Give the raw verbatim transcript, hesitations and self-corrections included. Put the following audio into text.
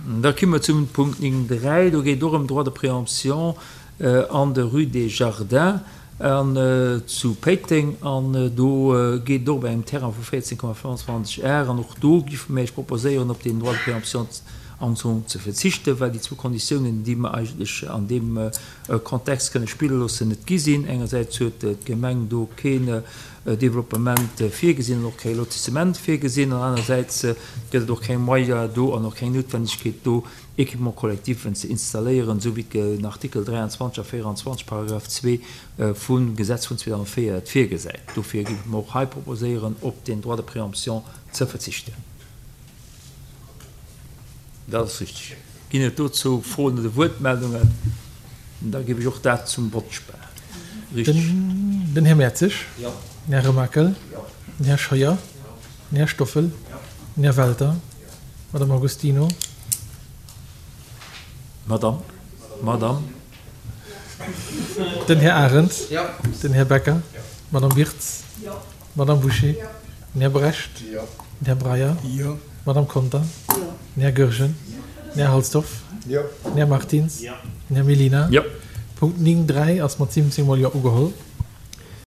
Da komme mer zum Punkt néng dräi. Do geet et och ëm Droit de préemption an der Rue des Jardins an zu Péiteng. An do geet et och ëm engem Terrain vu véierzéng Komma fënnwandzwanzeg Ar. An och do géife mir Iech proposéieren, op deen Droit de préemption am Fong ze verzichten, well déi zwou Konditiounen, déi mer eigentlech an deem Kontext kënne spille loossen, net gi sinn. Engersäits huet d'Gemeng do keen Développement virgesinn an och kee Lotissement virgesinn, an anersäits gëtt et och keng Moyen do an och keng Noutwendegkeet do, Équipements collectiven ze installéieren, esou wéi den Artikel dräianzwanzeg a véieranzwanzeg, Paragraph zwee vum Gesetz vun zweedausendvéier et virgesäit. Dofir géife mer och hei proposéieren, op deen Droit de préemption ze verzichten. Dat ass richteg. Ginn et dozou Froen oder Wuertmeldungen? Da géif ech och dat zum Vott spellen. Richteg. Den Här Mertzig. Den Här Remakel. Den Här Scheuer. Den Här Stoffel. Den Här Welter. D'Madame Agostino. Madame. Madame. Den Här Arendt. Den Här Becker. D'Madame Wirtz. D'Madame Bouché. Den Här Brecht. Den Här Breyer. D'Madame Conter. Den Här Goergen. Den Här Halsdorf. Den Här Martins. Den Här Mellina. Punkt néng dräi ass mat siwwenzéng mol Jo ugeholl.